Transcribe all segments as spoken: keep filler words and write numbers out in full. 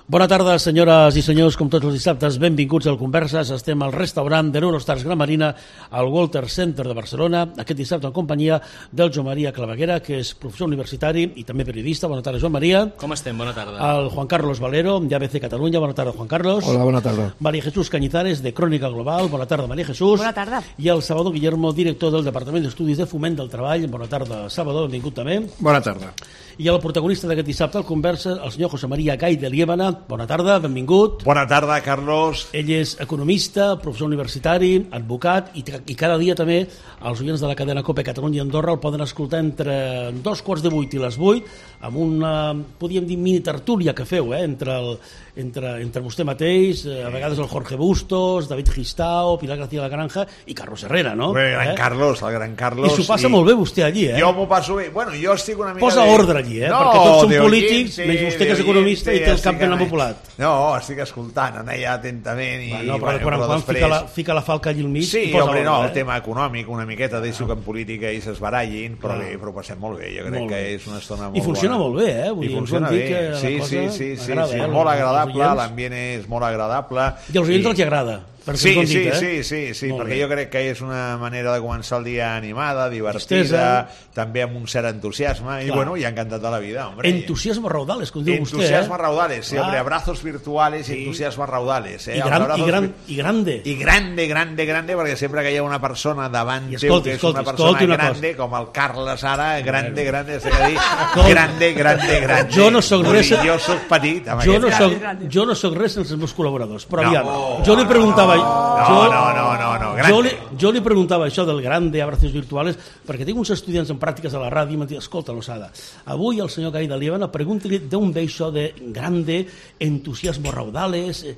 Bona tarda, senyores i senyors, com tots els dissabtes, benvinguts al Converses. Estem al restaurant de l'Eurostars Gran Marina, al Walter Center de Barcelona, aquest dissabte en companyia del Joan Maria Claveguera, que és professor universitari i també periodista. Bona tarda, Joan Maria. Com estem? Bona tarda. El Juan Carlos Valero, de A B C Catalunya. Bona tarda, Juan Carlos. Hola, bona tarda. María Jesús Cañizares, de Crònica Global. Bona tarda, María Jesús. Bona tarda. I el Salvador Guillermo, director del Departament d'Estudis de Foment del Treball. Bona tarda, Salvador, benvingut també. Bona tarda. I el protagonista d'aquest dissabte al Conversa, el senyor José María Gay de Liébana. Bona tarda, benvingut. Bona tarda, Carlos. Ell és economista, professor universitari, advocat, i, i cada dia també els oients de la cadena COPE Catalunya i Andorra el poden escoltar entre dos quarts de vuit i les vuit, amb una, podríem dir, mini tertúlia que feu, eh, entre, el, entre, entre vostè mateix, eh, a vegades el Jorge Bustos, David Gistao, Pilar García de la Granja i Carlos Herrera, no? El gran eh? Carlos, el gran Carlos. I s'ho passa i... molt bé vostè allí, eh? Jo m'ho passo bé. Bueno, jo estic una mica... Posa de... ordre allí, eh? No, perquè tots són de polítics, sí, menys vostè que és economista i té el cap ben amopulat. No, estic escoltant, anar allà atentament i... Bueno, però, bueno, quan, però quan després... fica, la, fica la falca allí al mig... Sí, posa home, ordre, no, eh? el tema econòmic una miqueta, deixo que en política i s'esbarallin, però ah. bé, però ho passem molt bé, jo crec molt que bé. és una estona molt I funciona bona. molt bé, eh? Vull I dir, funciona dir bé, que sí, la sí, cosa sí, sí, agrada, sí, eh? molt Els agradable, oients. l'ambient és molt agradable. I als oients els agrada. Sí, dit, sí, eh? sí, sí, sí, molt perquè bé. jo crec que és una manera de començar el dia animada, divertida, Tristesa. també amb un cert entusiasme, i Clar. bueno, i encantat de la vida, hombre. Entusiasmo raudales, com diu vostè, Entusiasmo eh? raudales, sí, Ah. hombre, abrazos virtuales Sí. y entusiasmo raudales. Eh? I, Els gran, abrazos i, gran, vi- I grande. I grande, grande, grande, perquè sempre que hi ha una persona davant I teu escolti, que és escolti, una persona escolti una grande, cosa. com el Carles ara, grande, grande, sé que dir, Escolti. grande, grande, grande. Jo no soc Vull res- dir, Jo soc petit, amb Jo aquest no, cas. soc, jo no soc res sense els meus col·laboradors, però No. aviam, jo li preguntava... No, jo, no, no, no, no, grande. Jo li, jo li preguntava això del grande abrazos virtuales perquè tinc uns estudiants en pràctiques a la ràdio i m'han dit, escolta, Losada, avui el senyor Gay de Liébana, pregunti-li d'on ve això de grande, entusiasmo raudales... Eh,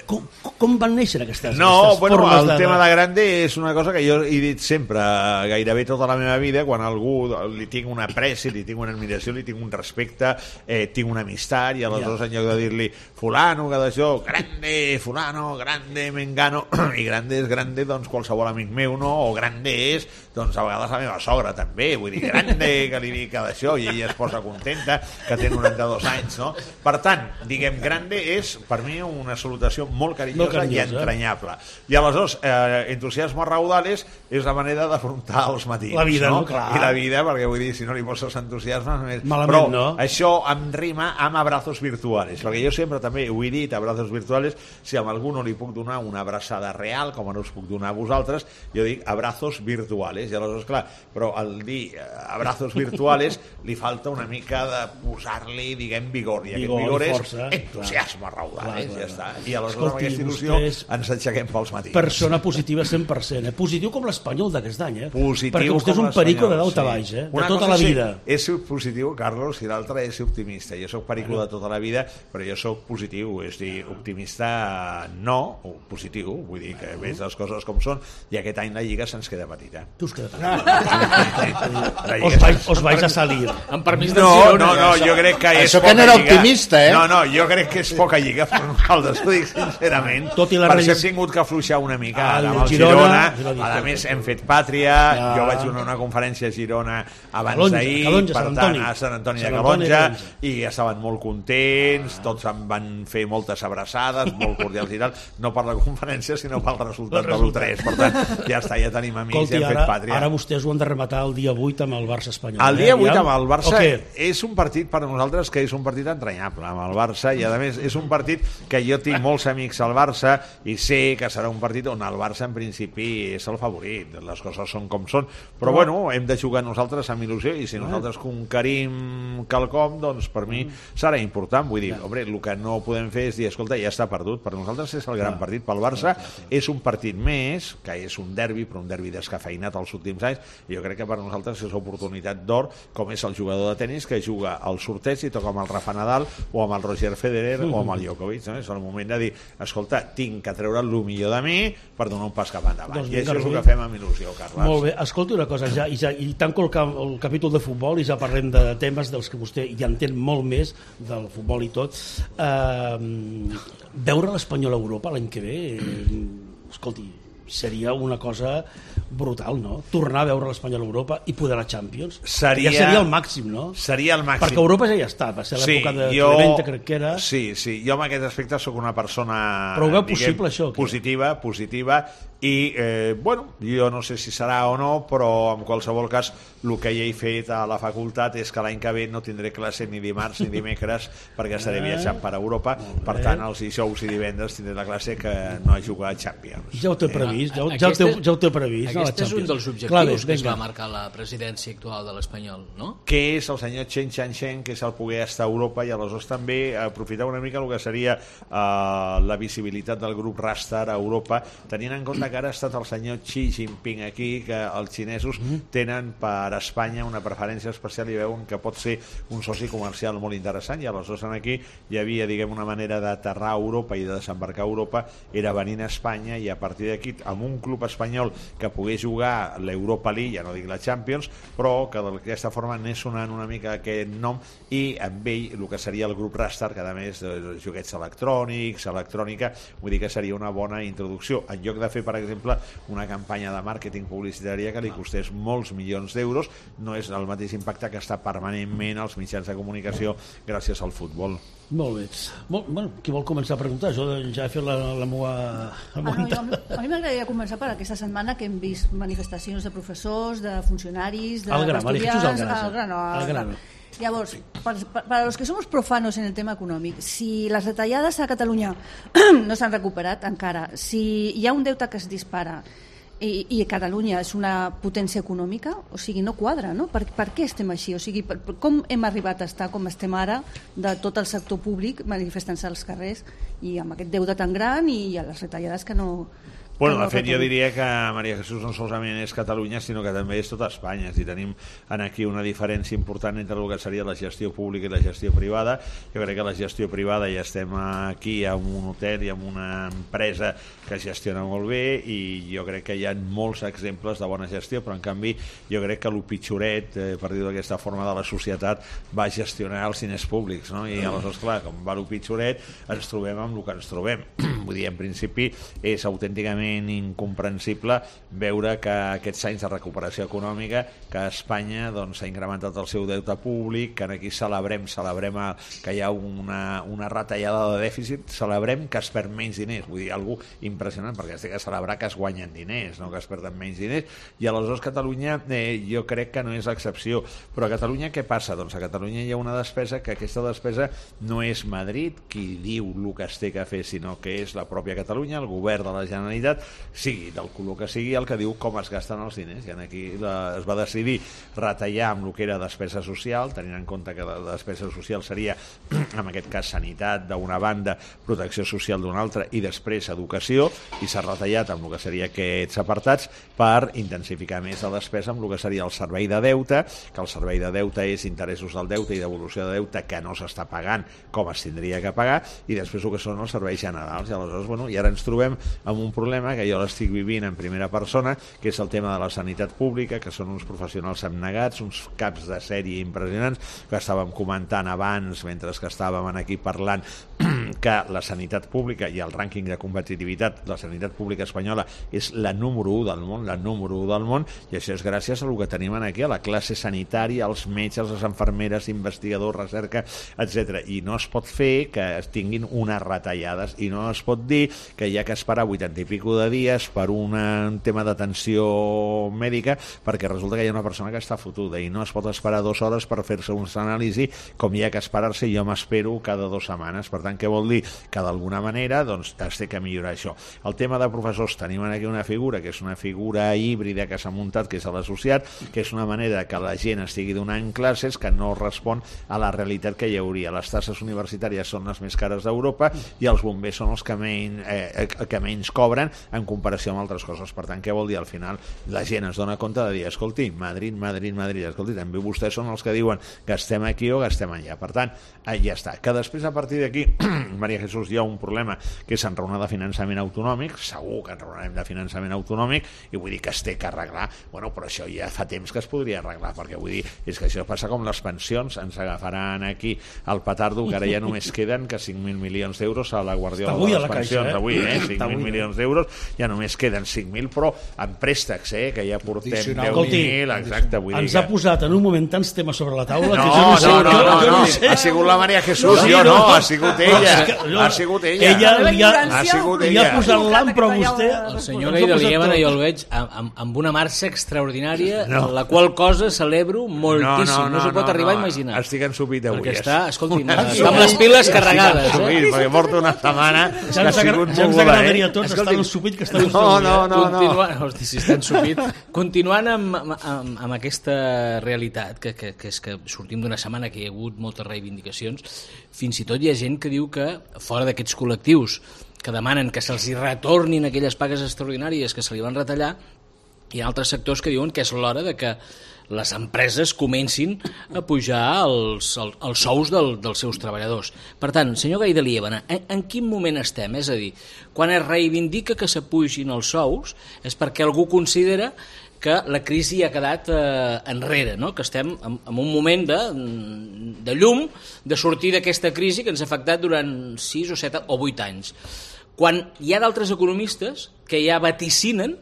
com, com van néixer aquestes, No, aquestes bueno, formes el de... tema de grande és una cosa que jo he dit sempre, gairebé tota la meva vida, quan a algú li tinc una apreci, li tinc una admiració, li tinc un respecte, eh, tinc una amistat, i aleshores Ja. en lloc de dir-li fulano, que d'això, grande, fulano, grande, mengano, i grande és grande, doncs qualsevol amic meu, no? O grande és, doncs a vegades la meva sogra també, vull dir, grande, que li dic que d'això, i ella es posa contenta, que té noranta-dos anys, no? Per tant, diguem, grande és, per mi, una salutació molt carinyosa, Molt carinyosa, i entranyable. I aleshores, eh, entusiasmo raudales és la manera d'afrontar els matins. La vida, no? no? Clar. I la vida, perquè vull dir, si no li poses entusiasme... Només... Malament, Però no? això em rima amb abrazos virtuales, perquè jo sempre també ho he dit, abrazos virtuales, si a algú no li puc donar una abraçada real, com no us puc donar a vosaltres, jo dic abrazos virtuales, i aleshores, clar, però al dir eh, abrazos virtuales li falta una mica de posar-li, diguem, vigor, i Vigor aquest vigor i és força, entusiasme clar. raudales, Clar, clar, ja està. clar. I aleshores Escolti, amb aquesta il·lusió vostè és ens aixequem pels matins. Persona positiva cent per cent, eh? Positiu com l'Espanyol d'aquest any, eh? Positiu perquè vostè és com un perico de l'Espanyol, dalt a sí. baix, eh? De Una tota cosa la sí, vida. és ser positiu, Carlos, i l'altra és ser optimista. Jo sóc perico de tota la vida, però jo sóc positiu, és dir, optimista no, o positiu, vull dir que veig les coses com són, i aquest any la Lliga se'ns queda petita. Tu us quedat. La Lliga Os vais, se'ns- os vais a salir. Amb permís del No, Girona. no, no, jo crec que és Això que poca no era lliga. optimista, eh? No, no, jo crec que és poca lliga per nosaltres, ho dic sincerament. Tot i la per rei- això hem tingut que afluixar una mica Ah, amb el Girona, Girona. Girona. A més, hem fet pàtria, Ah. jo vaig donar una conferència a Girona abans Calonja, d'ahir, Calonja, per Sant tant, Antoni. a Sant Antoni de Sant Antoni de Calonja, Calonja. i estaven molt contents, tots em van fer moltes abraçades, molt cordials i tal, no per la conferència, sinó pel resultat de l'u tres. Per tant, ja està, ja tenim amics, Escolti, ja hem ara, fet pàtria. ara vostès ho han de rematar el dia vuit amb el Barça espanyol. El dia eh? vuit Aviam. amb el Barça O què? és un partit per a nosaltres que és un partit entranyable amb el Barça, i a més és un partit que jo tinc molts amics al Barça i sé que serà un partit on el Barça en principi és el favorit, les coses són com són, però bueno, hem de jugar nosaltres amb il·lusió, i si nosaltres conquerim quelcom, doncs per mi serà important. Vull dir, home, el que no podem fer és dir, escolta, ja està perdut. Per nosaltres és el gran partit. Pel Barça és un partit més, que és un derbi, però un derbi descafeinat els últims anys, i jo crec que per nosaltres és oportunitat d'or, com és el jugador de tenis que juga al sorteig i toca amb el Rafa Nadal o amb el Roger Federer o amb el Djokovic, no? És el moment de dir, escolta, tinc que treure el millor de mi per donar un pas cap endavant. Doncs I això és el vinga, que fem amb il·lusió, Carles. Molt bé, escolti una cosa, ja, i, ja, i tanco el, cap, el capítol de futbol i ja parlem de temes dels que vostè ja entén molt més del futbol i tot. Uh, veure l'Espanyol a Europa l'any que ve, eh, escolti, seria una cosa brutal, no? Tornar a veure l'Espanyol a Europa i poder a la Champions. Seria... Ja seria el màxim, no? Seria el màxim. Perquè Europa ja hi ha estat, va ser l'època sí, de jo... Clemente, crec que era... Sí, sí, jo en aquest aspecte sóc una persona... Però ho veu diguem, possible, això? Que... Positiva, positiva, i, eh, bueno, jo no sé si serà o no, però en qualsevol cas el que ja he fet a la facultat és que l'any que ve no tindré classe ni dimarts ni dimecres perquè estaré viatjant per Europa, per tant els dijous i divendres tindré la classe que no he jugat a Champions. Ja ho té previst, ja, ja, ho, té, ja ho té previst. Aquest és un dels objectius Clar, que es va marcar la presidència actual de l'Espanyol, no? Que és el senyor Chen Chang-Chen, que és el poder estar a Europa i aleshores també aprofitar una mica el que seria uh, la visibilitat del grup Rastar a Europa, tenint en compte que ara ha estat el senyor Xi Jinping aquí, que els xinesos tenen per Espanya una preferència especial i veuen que pot ser un soci comercial molt interessant, i aleshores aquí hi havia, diguem, una manera d'aterrar a Europa i de desembarcar a Europa, era venint a Espanya, i a partir d'aquí, amb un club espanyol que pogués jugar l'Europa League, ja no dic la Champions, però que d'aquesta forma anés sonant una mica aquest nom, i amb ell el que seria el grup Rastar, que a més de joguets electrònics, electrònica, vull dir que seria una bona introducció, en lloc de fer, per exemple, una campanya de màrqueting publicitària que li costés molts milions d'euros, no és el mateix impacte que està permanentment als mitjans de comunicació gràcies al futbol. Molt bé. Molt, bueno, qui vol començar a preguntar? Jo ja he fet la, la meva... Ah, no, jo, a mi m'agradaria començar per aquesta setmana que hem vist manifestacions de professors, de funcionaris, d'estudiants... Al grano, al grano. Llavors, para, para los que somos profanos en el tema econòmic, si les retallades a Catalunya no s'han recuperat encara, si hi ha un deute que es dispara i, i Catalunya és una potència econòmica, o sigui, no quadra, no? Per, per què estem així? O sigui, per, com hem arribat a estar com estem ara de tot el sector públic manifestant-se als carrers i amb aquest deute tan gran i a les retallades que no... Bueno, de fet, jo diria que Maria Jesús no solament és Catalunya, sinó que també és tota Espanya. Si tenim aquí una diferència important entre el que seria la gestió pública i la gestió privada, jo crec que la gestió privada ja estem aquí amb un hotel i amb una empresa que gestiona molt bé, i jo crec que hi ha molts exemples de bona gestió, però en canvi jo crec que el pitjoret, eh, per dir-ho d'aquesta forma, de la societat va gestionar els diners públics, no? I aleshores, clar, com va el pitjoret, ens trobem amb el que ens trobem. Vull dir, en principi és autènticament incomprensible veure que aquests anys de recuperació econòmica, que Espanya doncs, ha incrementat el seu deute públic, que aquí celebrem celebrem que hi ha una, una retallada de dèficit, celebrem que es perd menys diners, vull dir, algú impressionant, perquè es té que celebrar que es guanyen diners, no que es perden menys diners, i aleshores Catalunya eh, jo crec que no és l'excepció. Però a Catalunya què passa? Doncs a Catalunya hi ha una despesa que aquesta despesa no és Madrid qui diu el que es té que fer, sinó que és la pròpia Catalunya, el govern de la Generalitat, sigui del color que sigui, el que diu com es gasten els diners. I aquí la, es va decidir retallar amb el que era despesa social, tenint en compte que la despesa social seria, en aquest cas, sanitat d'una banda, protecció social d'una altra, i després educació, i s'ha retallat amb el que seria aquests apartats per intensificar més la despesa amb el que seria el servei de deute, que el servei de deute és interessos del deute i devolució de deute que no s'està pagant com es tindria que pagar, i després el que són els serveis generals. I aleshores, bueno, i ara ens trobem amb un problema que jo l'estic vivint en primera persona, que és el tema de la sanitat pública, que són uns professionals abnegats, uns caps de sèrie impressionants, que estàvem comentant abans, mentre que estàvem aquí parlant, que la sanitat pública i el rànquing de competitivitat, la sanitat pública espanyola és la número u del món, la número u del món, i això és gràcies al que tenim aquí, a la classe sanitària, als metges, les infermeres, investigadors, recerca, etcètera. I no es pot fer que es tinguin unes retallades, i no es pot dir que hi ha que esperar vuitanta i pico de dies per un tema d'atenció mèdica, perquè resulta que hi ha una persona que està fotuda, i no es pot esperar dues hores per fer-se una anàlisi com hi ha que esperar-se, jo m'espero cada dues setmanes. Per tant, què vol dir? Que d'alguna manera doncs, es té que millorar això. El tema de professors, tenim aquí una figura que és una figura híbrida que s'ha muntat, que és l'associat, que és una manera que la gent estigui donant classes que no respon a la realitat que hi hauria. Les tasses universitàries són les més cares d'Europa i els bombers són els que menys, eh, que menys cobren en comparació amb altres coses. Per tant, què vol dir? Al final la gent es dona compte de dir, escolti, Madrid, Madrid, Madrid, escolti, també vostès són els que diuen gastem aquí o gastem allà. Per tant, ja està. Que després a partir d'aquí Maria Jesús, hi ha un problema que és enraonar de finançament autonòmic, segur que enraonarem de finançament autonòmic, i vull dir que es té que arreglar. Bueno, però això ja fa temps que es podria arreglar, perquè vull dir, és que això passa com les pensions, ens agafaran aquí el petardo, que ara ja només queden que cinc mil milions d'euros a la Guardiola de les pensions, eh? Avui, eh? cinc mil milions d'euros, ja només queden cinc mil, però amb préstecs, eh? Que ja portem deu mil, exacte. Vull ens dir ha posat en un moment tants temes sobre la taula no, que jo no sé. No, no, no, jo no, no sé. Ha sigut la Maria Jesús, sí, jo no, no, ha sigut ella. Ha sigut ella. Ella li ha, ha sigut li ha posat l'am, però vostè... El senyor Gai de Liébana jo el veig amb, amb una marxa extraordinària, no. La qual cosa celebro moltíssim. No, no, no, no s'ho pot no, arribar no, a imaginar. Estic ensupit avui. Perquè està, escolti, està amb les piles carregades. Ensupit, perquè porto una setmana ja ens agradaria a tots estar ensupit que estan no, no, no, no. Hosti, si està ensupit. Continuant amb, amb, amb aquesta realitat, que, que, que és que sortim d'una setmana que hi ha hagut moltes reivindicacions, fins i tot hi ha gent que diu que fora d'aquests col·lectius que demanen que se'ls retornin aquelles pagues extraordinàries que se li van retallar, hi ha altres sectors que diuen que és l'hora de que les empreses comencin a pujar els, els, els sous del, dels seus treballadors. Per tant, senyor Gai de Liébana, en, en quin moment estem? És a dir, quan es reivindica que s'apugin els sous és perquè algú considera que la crisi ha quedat eh, enrere, no? Que estem en, en un moment de, de llum, de sortir d'aquesta crisi que ens ha afectat durant sis o set o vuit anys. Quan hi ha d'altres economistes que ja vaticinen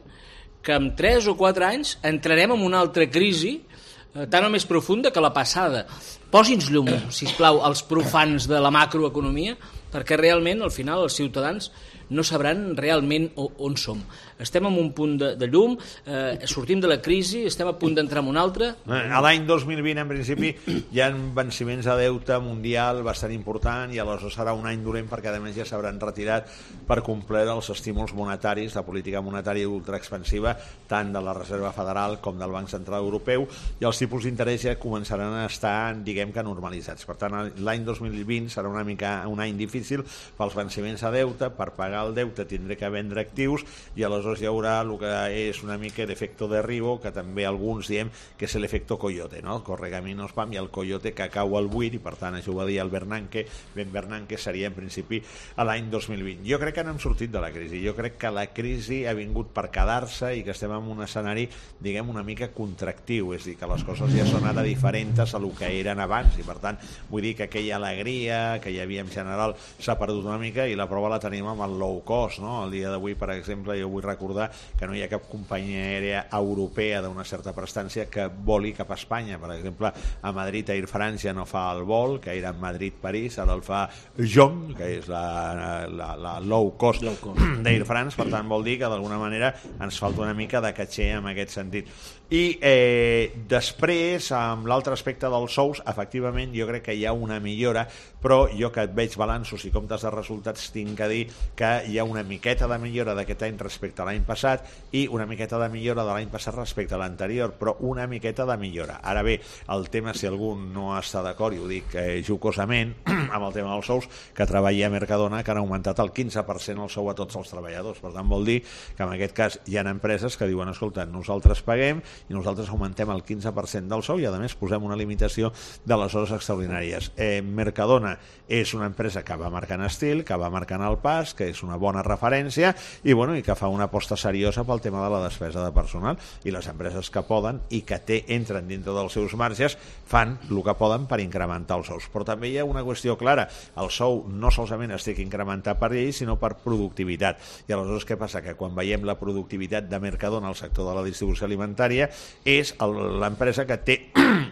que en tres o quatre anys entrarem en una altra crisi eh, tan o més profunda que la passada. Posi'ns llum, sisplau, als profans de la macroeconomia, perquè realment, al final, els ciutadans no sabran realment on som. Estem en un punt de, de llum, eh, sortim de la crisi, estem a punt d'entrar en un altre. A l'any dos mil vint, en principi, hi ha venciments de deute mundial bastant important i aleshores serà un any dolent perquè, a més, ja s'hauran retirat per complir els estímuls monetaris, de política monetària ultraexpansiva, tant de la Reserva Federal com del Banc Central Europeu, i els tipus d'interès ja començaran a estar, diguem que, normalitzats. Per tant, l'any dos mil vint serà una mica un any difícil pels venciments de deute, per pagar el deute tindré que vendre actius i aleshores hi haurà el que és una mica l'efecte de Ribo, que també alguns diem que és l'efecte coyote, no? Corregaminos pam, i el coyote que cau al buit, i per tant això ho va dir el Bernanke. Ben Bernanke seria en principi a l'any dos mil vint. Jo crec que no hem sortit de la crisi, jo crec que la crisi ha vingut per quedar-se i que estem en un escenari, diguem, una mica contractiu, és a dir, que les coses ja són ara diferents a el que eren abans, i per tant vull dir que aquella alegria que hi havia en general s'ha perdut una mica, i la prova la tenim amb el low cost, no? El dia d'avui, per exemple, jo vull recordar que no hi ha cap companyia aèria europea d'una certa prestància que voli cap a Espanya. Per exemple, a Madrid Air France ja no fa el vol, que era Madrid-París, ara el fa Jom, que és la, la, la low cost, cost. d'Air France. Per tant, vol dir que d'alguna manera ens falta una mica de caché en aquest sentit. I eh, després, amb l'altre aspecte dels sous, efectivament jo crec que hi ha una millora, però jo que et veig balanços i comptes de resultats tinc que dir que hi ha una miqueta de millora d'aquest any respecte a l'any passat i una miqueta de millora de l'any passat respecte a l'anterior, però una miqueta de millora. Ara bé, el tema, si algú no està d'acord, i ho dic eh, jocosament, amb el tema dels sous, que treballa a Mercadona, que han augmentat el quinze per cent el sou a tots els treballadors. Per tant, vol dir que en aquest cas hi ha empreses que diuen, escolta, nosaltres paguem i nosaltres augmentem el quinze per cent del sou i a més posem una limitació de les hores extraordinàries. Eh, Mercadona és una empresa que va marcant estil, que va marcant el pas, que és una bona referència i, bueno, i que fa una aposta seriosa pel tema de la despesa de personal, i les empreses que poden i que té, entren dintre dels seus marges fan el que poden per incrementar els sous. Però també hi ha una qüestió clara, el sou no solament es té que incrementar per llei sinó per productivitat, i aleshores què passa? Que quan veiem la productivitat de Mercadona al sector de la distribució alimentària és l'empresa que té,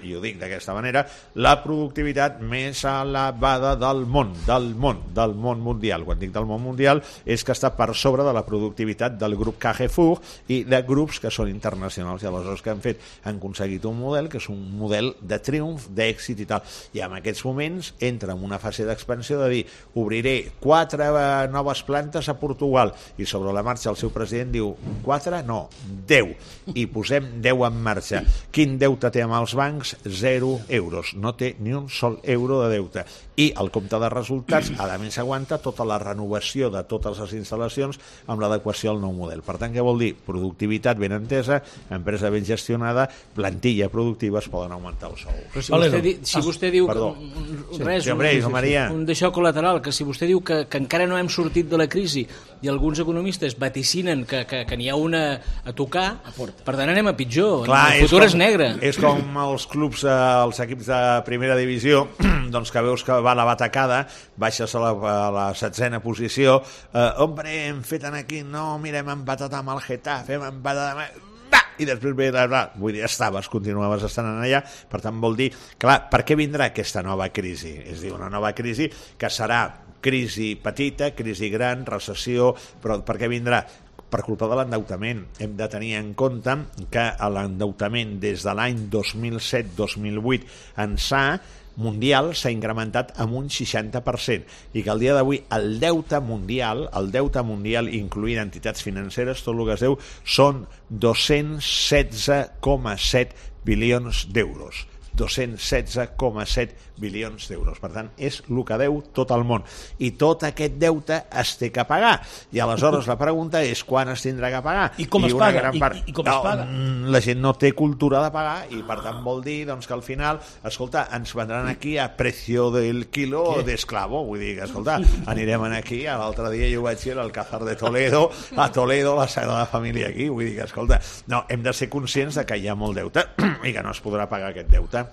i ho dic d'aquesta manera, la productivitat més elevada del món, del món, del món mundial. Quan dic del món mundial és que està per sobre de la productivitat del grup Carrefour i de grups que són internacionals, i aleshores que han fet, han aconseguit un model que és un model de triomf, d'èxit i tal, i en aquests moments entra en una fase d'expansió de dir, obriré quatre noves plantes a Portugal, i sobre la marxa el seu president diu, quatre? No, deu, i posem deu en marxa. Quin deute té amb els bancs? Zero euros, no té ni un sol euro de deute, i el compte de resultats a més aguanta tota la renovació de totes les instal·lacions amb l'adequació al nou model. Per tant, què vol dir? Productivitat ben entesa, empresa ben gestionada, plantilla productiva, es poden augmentar els sous. Però si vostè, di, si vostè diu Perdó. que, res, Sí, hombre, un, Maria. un d'això col·lateral, que si vostè diu que, que encara no hem sortit de la crisi i alguns economistes vaticinen que, que, que n'hi ha una a tocar, per tant anem a pitjor. Clar, el futur és, és, com, és negre. És com els clubs, eh, els equips de primera divisió, doncs que veus que va la batacada, baixes a la, a la setzena posició, eh, hombre, hem fet aquí, no, mira, hem empatat amb el Getafe, hem empatat amb... Va! I després ve la... Vull dir, estaves, continuaves estant allà, per tant vol dir, clar, per què vindrà aquesta nova crisi? És dir, una nova crisi que serà crisi petita, crisi gran, recessió, però per què vindrà? Per culpa de l'endeutament. Hem de tenir en compte que l'endeutament des de l'any dos mil set dos mil vuit ençà mundial s'ha incrementat amb un seixanta per cent i que al dia d'avui el deute mundial, el deute mundial incloent entitats financeres, tot el que es deu, són dos-cents setze coma set bilions d'euros. dos-cents setze coma set bilions d'euros. Per tant, és el que deu tot el món. I tot aquest deute es té que pagar. I aleshores la pregunta és quan es tindrà que pagar. I com I es una paga? gran I, part... i, i com es paga? No, la gent no té cultura de pagar i per tant vol dir doncs, que al final, escolta, ens vendran aquí a precio del quilo d'esclavo. Vull dir que, escolta, anirem aquí, l'altre dia jo vaig ir al Alcázar de Toledo, a Toledo, la Sagrada Família aquí. Vull dir que, escolta, no, hem de ser conscients de que hi ha molt deute i que no es podrà pagar aquest deute.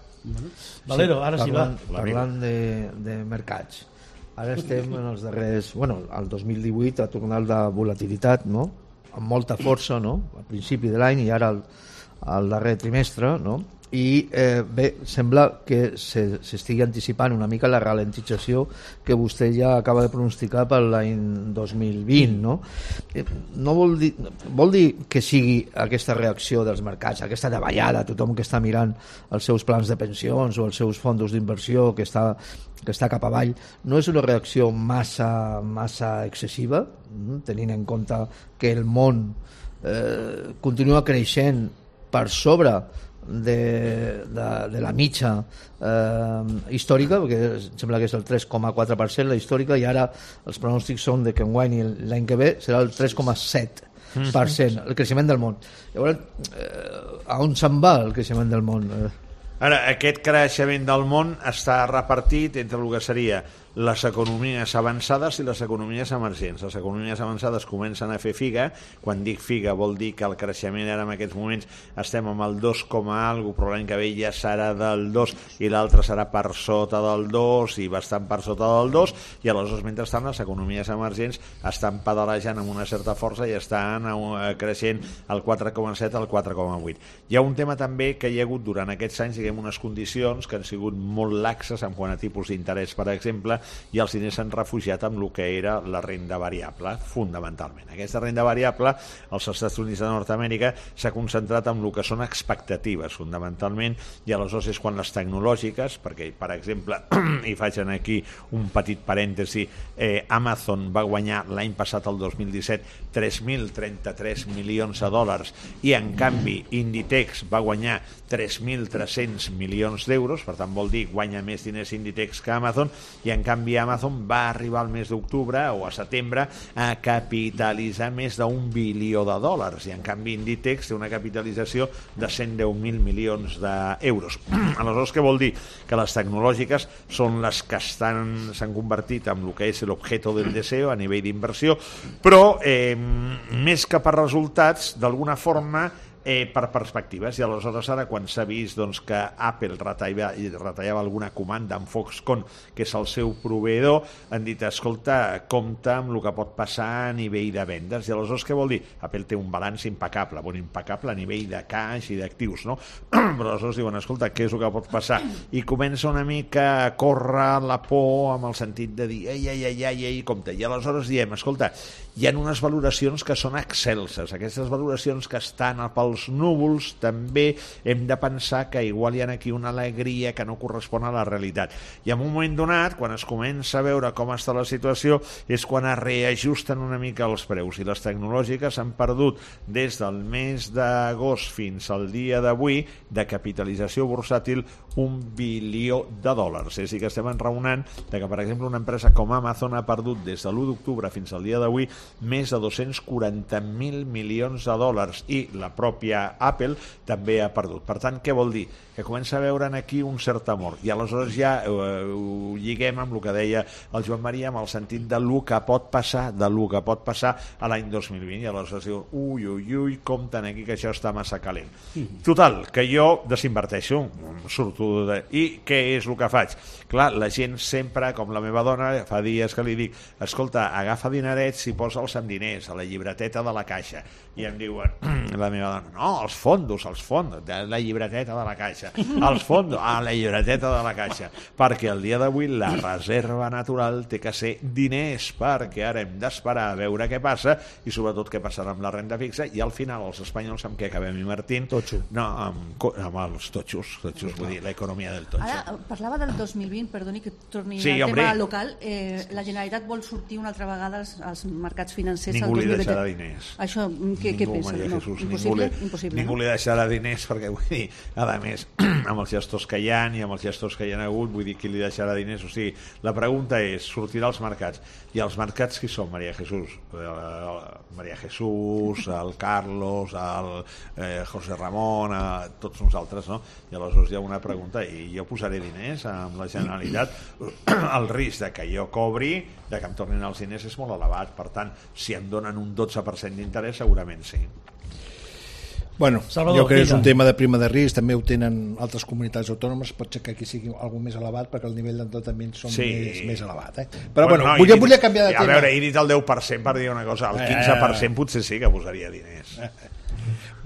Valero, ara sí, va. Parlant, parlant de, de mercats, ara estem en els darrers... Bueno, el dos mil divuit ha tornat la volatilitat, no?, amb molta força, no?, al principi de l'any i ara al, al darrer trimestre, no?, i eh, bé, sembla que s'estigui anticipant una mica la ralentització que vostè ja acaba de pronosticar per l'any dos mil vint, no? Eh, no vol dir, vol dir que sigui aquesta reacció dels mercats, aquesta davallada, tothom que està mirant els seus plans de pensions o els seus fons d'inversió que està, que està cap avall, no és una reacció massa, massa excessiva, tenint en compte que el món eh, continua creixent per sobre de, de, de la mitja eh, històrica, perquè sembla que és el tres coma quatre per cent la històrica, i ara els pronòstics són de que enguany i l'any que ve serà el tres coma set per cent el creixement del món. Llavors, eh, a on se'n va el creixement del món? Ara, aquest creixement del món està repartit entre el que seria les economies avançades i les economies emergents. Les economies avançades comencen a fer figa. Quan dic figa vol dir que el creixement ara en aquests moments estem amb el dos, algo, però l'any que ve ja serà del dos i l'altre serà per sota del dos i bastant per sota del dos, i aleshores mentrestant les economies emergents estan pedalejant amb una certa força i estan creixent el quatre coma set al quatre coma vuit. Hi ha un tema també que hi ha hagut durant aquests anys, diguem, unes condicions que han sigut molt laxes en quant a tipus d'interès, per exemple, i els diners s'han refugiat amb el que era la renda variable, fonamentalment. Aquesta renda variable, als Estats Units de Nord-Amèrica, s'ha concentrat en el que són expectatives, fonamentalment, i aleshores és quan les tecnològiques, perquè, per exemple, i faig aquí un petit parèntesi, eh, Amazon va guanyar l'any passat, el dos mil disset, tres mil trenta-tres milions de dòlars, i en canvi Inditex va guanyar tres mil tres-cents milions d'euros, per tant vol dir guanya més diners Inditex que Amazon, i en canvi Amazon va arribar al mes d'octubre o a setembre a capitalitzar més d'un bilió de dòlars, i en canvi Inditex té una capitalització de cent deu mil milions d'euros. Aleshores, què vol dir? Que les tecnològiques són les que estan s'han convertit en el que és l'objeto del deseo a nivell d'inversió, però eh, més que per resultats, d'alguna forma Eh, per perspectives, i aleshores ara quan s'ha vist doncs, que Apple retallava, retallava alguna comanda amb Foxconn, que és el seu proveïdor, han dit, escolta, compta amb el que pot passar a nivell de vendes, i aleshores què vol dir? Apple té un balanç impecable, bon, impecable a nivell de caix i d'actius, no? Però aleshores diuen, escolta, què és el que pot passar? I comença una mica a córrer la por amb el sentit de dir, ei, ei, ei, ei, ei, compte, i aleshores diem, escolta, hi ha unes valoracions que són excelses, aquestes valoracions que estan pel els núvols, també hem de pensar que igual hi ha aquí una alegria que no correspon a la realitat. I en un moment donat, quan es comença a veure com està la situació, és quan es reajusten una mica els preus, i les tecnològiques han perdut des del mes d'agost fins al dia d'avui de capitalització bursàtil un bilió de dòlars. És a dir, que estem enraonant de que, per exemple, una empresa com Amazon ha perdut des de l'u d'octubre fins al dia d'avui més de dos-cents quaranta mil milions de dòlars, i la pròpia Apple també ha perdut. Per tant, què vol dir? Que comença a veure aquí un cert amor, i aleshores ja eh, ho lliguem amb el que deia el Joan Maria, amb el sentit de lo que pot passar, de lo que pot passar a l'any dos mil vint, i aleshores diu, ui, ui, ui, compten aquí que això està massa calent. Total, que jo desinverteixo, surto de... I què és el que faig? Clar, la gent sempre, com la meva dona, fa dies que li dic, escolta, agafa dinerets i posa'ls en diners, a la llibreteta de la caixa. I em diuen, la meva dona, no, els fondos, els fondos, de la llibreteta de la caixa, els fondos, a la llibreteta de la caixa, perquè el dia d'avui la reserva natural té que ser diners, perquè ara hem d'esperar a veure què passa, i sobretot què passarà amb la renda fixa, i al final els espanyols amb què acabem invertint? Totxo. No, amb, amb els totxos, totxos, vull dir, l'economia del totxo. Ara, parlava del dos mil vint, perdoni que torni Sí, al hombre. tema local. Eh, la Generalitat vol sortir una altra vegada als, als mercats financers. Ningú al li dos mil vint. deixarà diners. Això, què, què Ningú, pensa? Maria No, Jesús, impossible? ningú li, Impossible, ningú no? li deixarà diners, perquè vull dir, a més, amb els gestos que hi ha i amb els gestos que hi ha hagut, vull dir, qui li deixarà diners? O sigui, la pregunta és, sortirà als mercats, i els mercats qui són, Maria Jesús? Eh, Maria Jesús, el Carlos, el eh, José Ramon, eh, tots nosaltres, no? I aleshores hi ha una pregunta, i jo posaré diners amb la Generalitat? El risc de que jo cobri, de que em tornin els diners, és molt elevat. Per tant, si em donen un dotze per cent d'interès, segurament sí. Bueno, Salvador, jo crec que és vinga. un tema de prima de risc, també ho tenen altres comunitats autònomes, pot ser que aquí sigui algú més elevat perquè el nivell d'endeutament són Sí. més, més elevat. Eh? Però bueno, no, vull, he dit- volia canviar de a tema. veure, he dit el deu per cent per dir una cosa, el quinze per cent potser sí que posaria diners.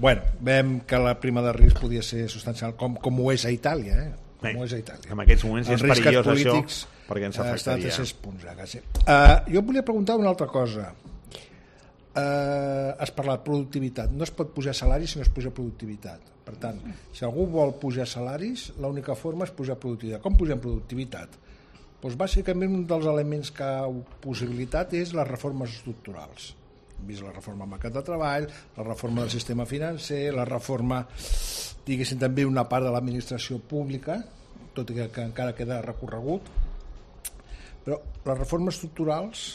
Bueno, veiem que la prima de risc podia ser substancial, com, com ho és a Itàlia, eh? Com Bé, ho és a Itàlia. en aquests moments ja Els és riscos perillós això, polítics, perquè ens eh, estan a afectaria. tres-cents punts, ja, quasi. Uh, jo volia preguntar una altra cosa. Uh, has parlat de productivitat. No es pot pujar salaris si no es puja productivitat. Per tant, si algú vol pujar salaris, l'única forma és pujar productivitat. Com pugem productivitat? Doncs bàsicament un dels elements que ha possibilitat és les reformes estructurals. Hem vist la reforma del mercat de treball, la reforma del sistema financer, la reforma, diguéssim, també una part de l'administració pública, tot i que, que encara queda recorregut. Però les reformes estructurals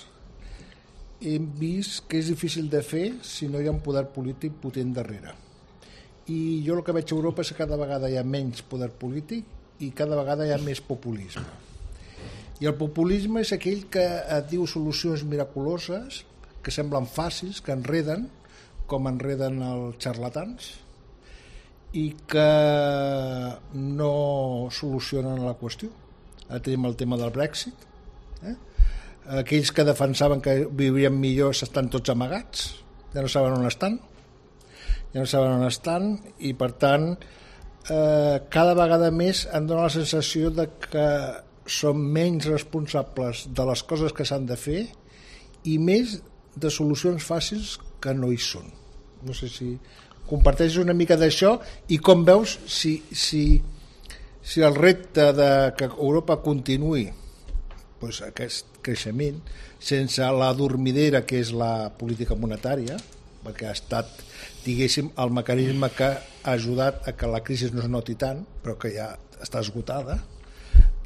hem vist que és difícil de fer si no hi ha un poder polític potent darrere. I jo el que veig a Europa és que cada vegada hi ha menys poder polític i cada vegada hi ha més populisme. I el populisme és aquell que et diu solucions miraculoses, que semblen fàcils, que enreden, com enreden els xarlatans, i que no solucionen la qüestió. Ara tenim el tema del Brexit, eh? Aquells que defensaven que viurien millor estan tots amagats, ja no saben on estan, ja no saben on estan, i per tant eh, cada vegada més em dóna la sensació de que són menys responsables de les coses que s'han de fer i més de solucions fàcils que no hi són. No sé si comparteixes una mica d'això i com veus si, si, si el repte de que Europa continuï doncs, aquest creixement sense la dormidera que és la política monetària, perquè ha estat, diguéssim, el mecanisme que ha ajudat a que la crisi no es noti tant, però que ja està esgotada,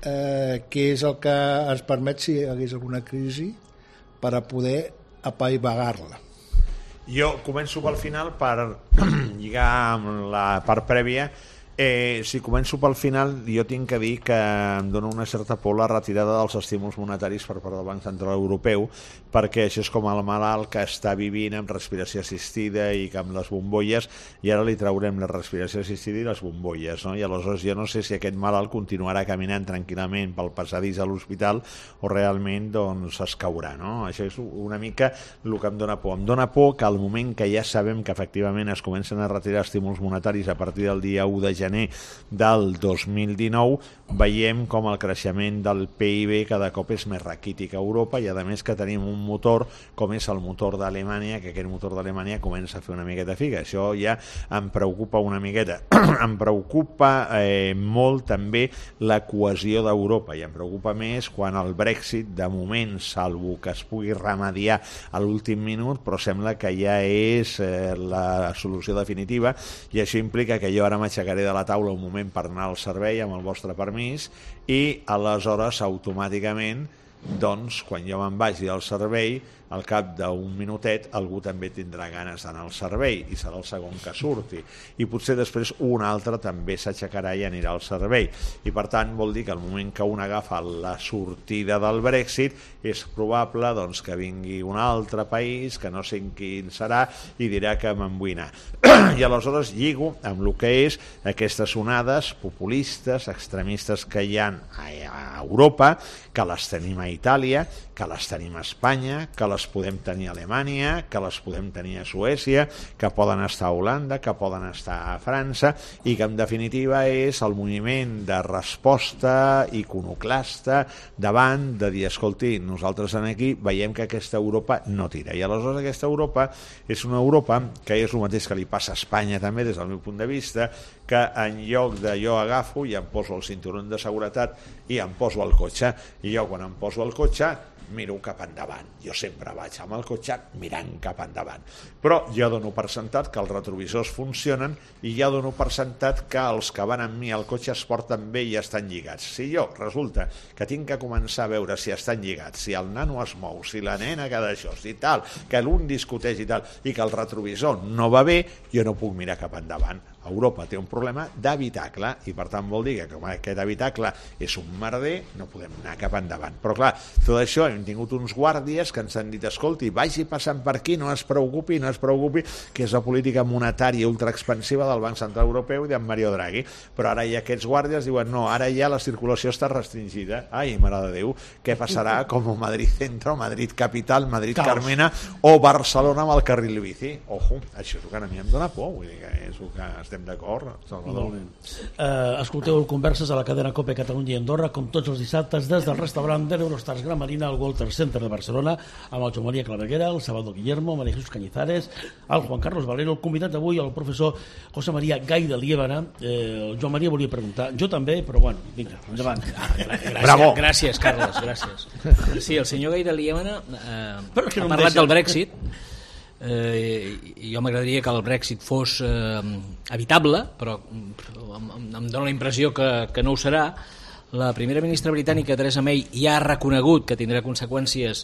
eh, que és el que ens permet, si hi hagués alguna crisi, per a poder apaivagar-la. Jo començo pel final per lligar amb la part prèvia. Eh, si començo pel final, jo tinc que dir que em dona una certa por la retirada dels estímuls monetaris per part del Banc Central Europeu, perquè això és com el malalt que està vivint amb respiració assistida i que amb les bombolles, i ara li traurem la respiració assistida i les bombolles, no? I aleshores jo no sé si aquest malalt continuarà caminant tranquil·lament pel passadís a l'hospital o realment doncs es caurà, no? Això és una mica el que em dona por. Em dona por que al moment que ja sabem que efectivament es comencen a retirar estímuls monetaris a partir del dia u de gener, gener del dos mil dinou, veiem com el creixement del P I B cada cop és més raquític a Europa, i a més que tenim un motor com és el motor d'Alemanya, que aquest motor d'Alemanya comença a fer una miqueta figa. Això ja em preocupa una miqueta. Em preocupa eh, molt també la cohesió d'Europa, i em preocupa més quan el Brexit, de moment, salvo que es pugui remediar a l'últim minut, però sembla que ja és eh, la solució definitiva, i això implica que jo ara m'aixecaré de la taula un moment per anar al servei amb el vostre permís, i aleshores automàticament, doncs, quan jo me'n vagi al servei, al cap d'un minutet algú també tindrà ganes d'anar al servei i serà el segon que surti, i potser després un altre també s'aixecarà i anirà al servei, i per tant vol dir que al moment que un agafa la sortida del Brexit és probable doncs, que vingui un altre país que no sé quin serà i dirà que me'n vull anar. I aleshores lligo amb el que és aquestes onades populistes, extremistes que hi ha a Europa, que les tenim a Itàlia, que les tenim a Espanya, que les podem tenir a Alemanya, que les podem tenir a Suècia, que poden estar a Holanda, que poden estar a França, i que en definitiva és el moviment de resposta iconoclasta davant de dir, escolti, nosaltres aquí veiem que aquesta Europa no tira, i aleshores aquesta Europa és una Europa que és el mateix que li passa a Espanya també des del meu punt de vista, que en lloc de jo agafo i em poso el cinturó de seguretat i em poso al cotxe, i jo quan em poso al cotxe miro cap endavant. Jo sempre vaig amb el cotxe mirant cap endavant. Però jo dono per sentat que els retrovisors funcionen, i ja dono per sentat que els que van amb mi al cotxe es porten bé i estan lligats. Si jo resulta que tinc que començar a veure si estan lligats, si el nano es mou, si la nena que d'això, si tal, que l'un discuteix i tal, i que el retrovisor no va bé, jo no puc mirar cap endavant. Europa té un problema d'habitacle, i per tant vol dir que com aquest habitacle és un merder, no podem anar cap endavant. Però clar, tot això hem tingut uns guàrdies que ens han dit, escolti, vagi passant per aquí, no es preocupi, no es preocupi, que és la política monetària ultraexpansiva del Banc Central Europeu i d'en Mario Draghi. Però ara ja aquests guàrdies diuen, no, ara ja la circulació està restringida. Ai, mare de Déu, què passarà com Madrid Centro, Madrid Capital, Madrid Caos. Carmena o Barcelona amb el carril bici? Ojo, això és el que a mi em dóna por, vull dir que és el que estem d'acord, Salvador. Uh, escolteu converses a la cadena COPE Catalunya i Andorra, com tots els dissabtes, des del restaurant de l'Eurostars Gran Marina al Walter Center de Barcelona, amb el Joan Maria Claveguera, el Salvador Guillermo, María Jesús Cañizares, el Juan Carlos Valero, el convidat d'avui, el professor José María Gai de Liébana. Eh, el Joan Maria volia preguntar, jo també, però bueno, vinga, endavant. Gràcies, Bravo. gràcies, Carles, gràcies. Sí, el senyor Gai de Liébana eh, Però és que ha no em parlat deixa. del Brexit. Eh, jo m'agradaria que el Brexit fos eh, evitable, però em, em dóna la impressió que, que no ho serà. La primera ministra britànica, Theresa May, ja ha reconegut que tindrà conseqüències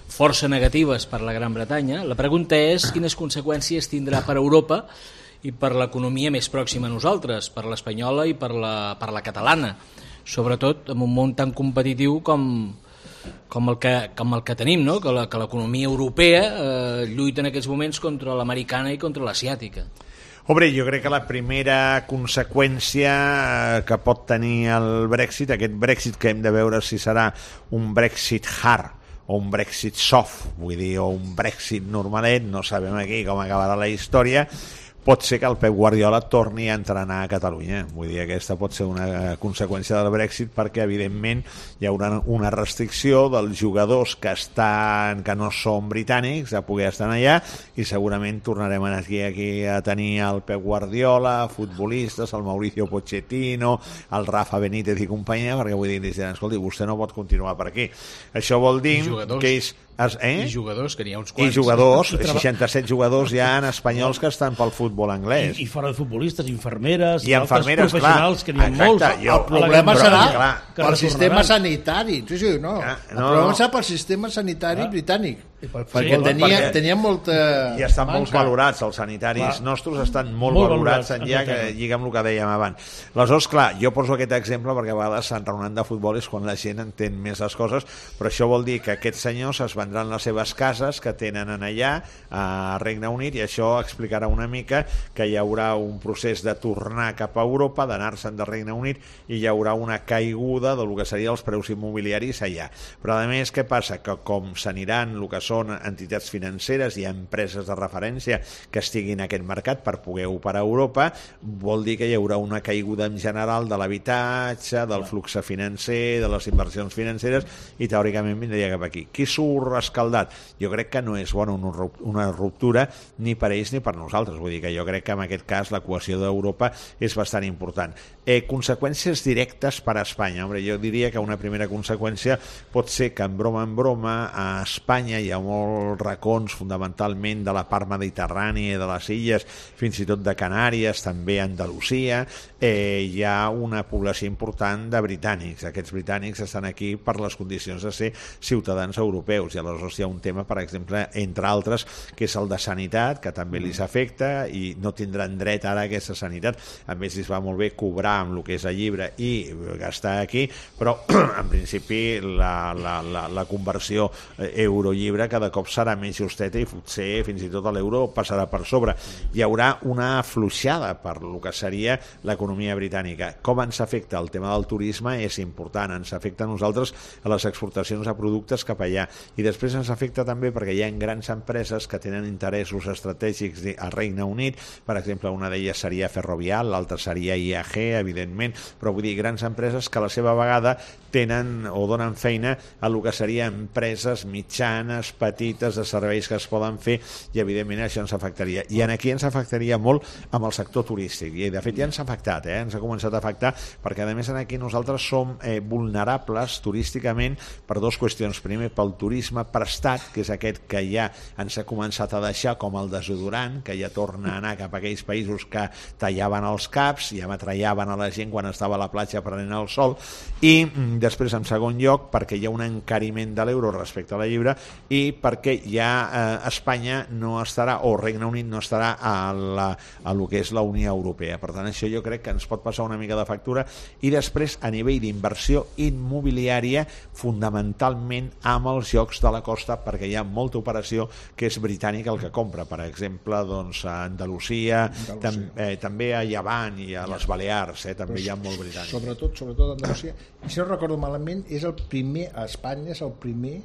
força negatives per la Gran Bretanya. La pregunta és quines conseqüències tindrà per Europa i per l'economia més pròxima a nosaltres, per l'espanyola i per la, per la catalana, sobretot en un món tan competitiu com, com, el, que, com el que tenim, no? Que la, que l'economia europea eh, lluita en aquests moments contra l'americana i contra l'asiàtica. Hombre, jo crec que la primera conseqüència que pot tenir el Brexit, aquest Brexit que hem de veure si serà un Brexit hard o un Brexit soft, vull dir, o un Brexit normalet, no sabem aquí com acabarà la història, pot ser que el Pep Guardiola torni a entrenar a Catalunya. Vull dir, aquesta pot ser una conseqüència del Brexit, perquè evidentment hi haurà una restricció dels jugadors que estan que no són britànics a poder estar allà, i segurament tornarem aquí, aquí a tenir el Pep Guardiola, futbolistes, el Mauricio Pochettino, el Rafa Benítez i companyia, perquè vull dir, escolti, vostè no pot continuar per aquí. Això vol dir que és Eh? I jugadors, que n'hi ha uns quants. I jugadors, seixanta-set jugadors ja en espanyols que estan pel futbol anglès. I, i fora de futbolistes, infermeres, i infermeres, professionals, clar. que n'hi ha Exacte, molts. jo- El problema Però, serà clar, pel sistema sanitari. Sí, sí, no. Ah, El no, problema no. serà pel sistema sanitari Ah. britànic. I pel Perquè futbol, tenia, perquè- tenia molta I estan molt manca. valorats, els sanitaris Clar. nostres estan molt, Molt valorats, valorats, en ja que Anglaterra. lliga amb el que dèiem abans. Aleshores, clar, jo poso aquest exemple perquè a vegades Sant Reunant de Futbol és quan la gent entén més les coses, però això vol dir que aquests senyors es vendran les seves cases que tenen en allà a Regne Unit, i això explicarà una mica que hi haurà un procés de tornar cap a Europa, d'anar-se'n de Regne Unit, i hi haurà una caiguda del que serien els preus immobiliaris allà. Però a més, què passa? Que com s'aniran el que són entitats financeres i empreses de referència que estiguin en aquest mercat per poder operar a Europa, vol dir que hi haurà una caiguda en general de l'habitatge, del flux financer, de les inversions financeres, i teòricament vindria cap aquí. Qui surt escaldat? Jo crec que no és bona una ruptura ni per ells ni per nosaltres. Vull dir que jo crec que en aquest cas la cohesió d'Europa és bastant important. Eh, conseqüències directes per a Espanya. Hombre, jo diria que una primera conseqüència pot ser que en broma en broma a Espanya hi ha molts racons fundamentalment de la part mediterrània, de les illes, fins i tot de Canàries, també Andalusia, eh, hi ha una població important de britànics. Aquests britànics estan aquí per les condicions de ser ciutadans europeus, i aleshores hi ha un tema, per exemple, entre altres, que és el de sanitat, que també li s'afecta i no tindran dret ara a aquesta sanitat. A més, es va molt bé cobrar amb el que és el llibre i gastar aquí, però en principi la, la, la, la conversió euro-llibre cada cop serà més justeta i potser fins i tot l'euro passarà per sobre. Hi haurà una afluixada per el que seria l'economia britànica. Com ens afecta el tema del turisme és important, ens afecta a nosaltres a les exportacions de productes cap allà, i després ens afecta també perquè hi ha grans empreses que tenen interessos estratègics al Regne Unit, per exemple una d'elles seria Ferrovial, l'altra seria I A G, evidentment, però vull dir grans empreses que a la seva vegada tenen o donen feina a el que serien empreses mitjanes, petites, de serveis que es poden fer, i evidentment això ens afectaria. I en aquí ens afectaria molt amb el sector turístic, i de fet ja ens ha afectat, eh? ens ha començat a afectar, perquè a més aquí nosaltres som eh, vulnerables turísticament per dues qüestions. Primer, pel turisme prestat, que és aquest que ja ens ha començat a deixar com el desodorant, que ja torna a anar cap a aquells països que tallaven els caps, ja matrellaven a la gent quan estava a la platja prenent el sol, i mm, després, en segon lloc, perquè hi ha un encariment de l'euro respecte a la llibre, i perquè ja eh, Espanya no estarà, o Regne Unit no estarà a, la, a lo que és la Unió Europea. Per tant, això jo crec que ens pot passar una mica de factura. I després, a nivell d'inversió immobiliària, fundamentalment amb els jocs de la costa, perquè hi ha molta operació que és britànica el que compra. Per exemple, doncs, a Andalusia, Andalusia. Tam, eh, també a Llevant i a les Balears, eh, també hi ha molt britànic. Sobretot, sobretot a Andalusia. I si no recordo malament, és el primer, a Espanya és el primer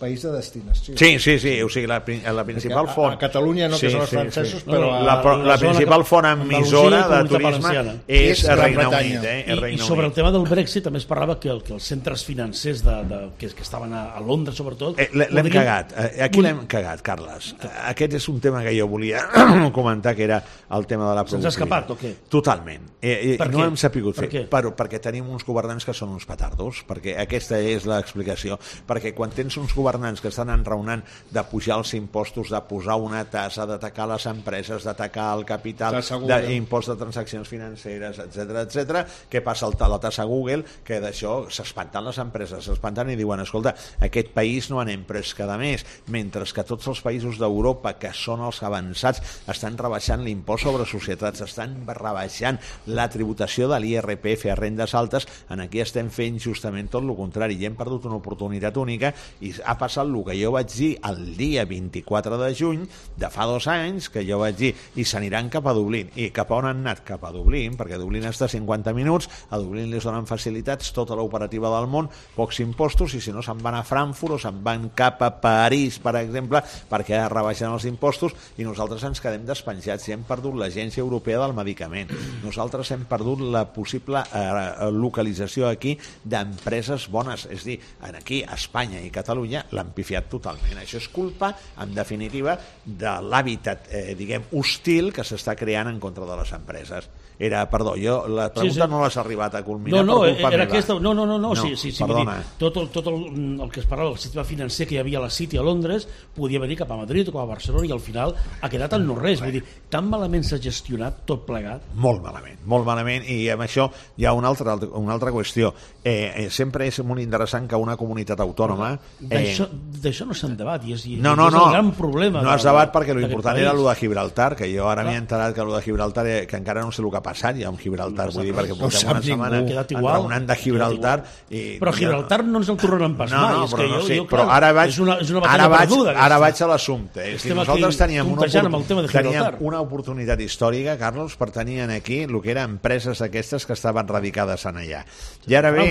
país de destinació. Sí, sí, sí, o sigui, la, la principal a, font... A Catalunya no, sí, que són els sí, francesos, sí. però... La, la, la, la principal font emissora de turisme és el Regne Unit. Eh? I, I sobre el tema del Brexit també es parlava que, el, que els centres financers de, de, que, que estaven a, a Londres, sobretot... Eh, L'hem podrien... cagat. Aquí l'hem cagat, Carles. Aquest és un tema que jo volia comentar, que era el tema de la productivitat. Se'ns ha escapat o què? Totalment. Eh, eh, no hem sapigut fer. Per per, perquè tenim uns governants que són uns petardos, perquè aquesta és l'explicació. Perquè quan tens uns governants que estan enraonant de pujar els impostos, de posar una tassa, d'atacar les empreses, d'atacar el capital, d'impost de transaccions financeres, etcètera, etcètera, què passa a la tassa Google? Que d'això s'espanten les empreses, s'espanten i diuen, escolta, aquest país no anem pres cada mes, mentre que tots els països d'Europa, que són els avançats, estan rebaixant l'impost sobre societats, estan rebaixant la tributació de l'I R P F a rendes altes. En aquí estem fent justament tot el contrari, i hem perdut una oportunitat única, i ha passat el que jo vaig dir el dia vint-i-quatre de juny de fa dos anys, que jo vaig dir i s'aniran cap a Dublín. I cap a on han anat? Cap a Dublín, perquè Dublín està a cinquanta minuts, a Dublín li donen facilitats, tota l'operativa del món, pocs impostos, i si no se'n van a Frankfurt o se'n van cap a París, per exemple, perquè rebaixen els impostos, i nosaltres ens quedem despenjats i hem perdut l'Agència Europea del Medicament. Nosaltres hem perdut la possible eh, localització aquí d'empreses bones, és dir, aquí a Espanya i Catalunya l'han pifiat totalment. Això és culpa, en definitiva, de l'hàbitat, eh, diguem, hostil que s'està creant en contra de les empreses. Era, perdó, jo la pregunta sí, sí. no l'has arribat a culminar no, no, per culpa era meva. Aquesta, no, no, no, no, no, sí, sí, sí, perdona. Dir, tot, el, tot el, el que es parlava, el sistema financer que hi havia a la City a Londres, podia venir cap a Madrid o cap a Barcelona, i al final ha quedat en no res. Vull dir, tan malament s'ha gestionat tot plegat. Molt malament, molt malament, i amb això hi ha una altra, una altra qüestió. Eh, eh, sempre és molt interessant que una comunitat autònoma... D'això eh... no se'n debat, i és, i no, no, és no. el gran problema. No es debat perquè l'important era el de Gibraltar, que jo ara Clar. m'he enterat que el de Gibraltar, que encara no sé el que ha passat ja amb Gibraltar, no vull dir, perquè no portem una setmana enraonant de Gibraltar. I, però Gibraltar no ens el tornaran pas no, mai. No, és però, que jo, no sé, jo, però clar, ara vaig, és una, és una ara vaig, perduda, ara vaig a l'assumpte. És que nosaltres teníem una, teníem una oportunitat històrica, Carlos, per tenir aquí el que eren empreses aquestes que estaven radicades en allà. I ara ve...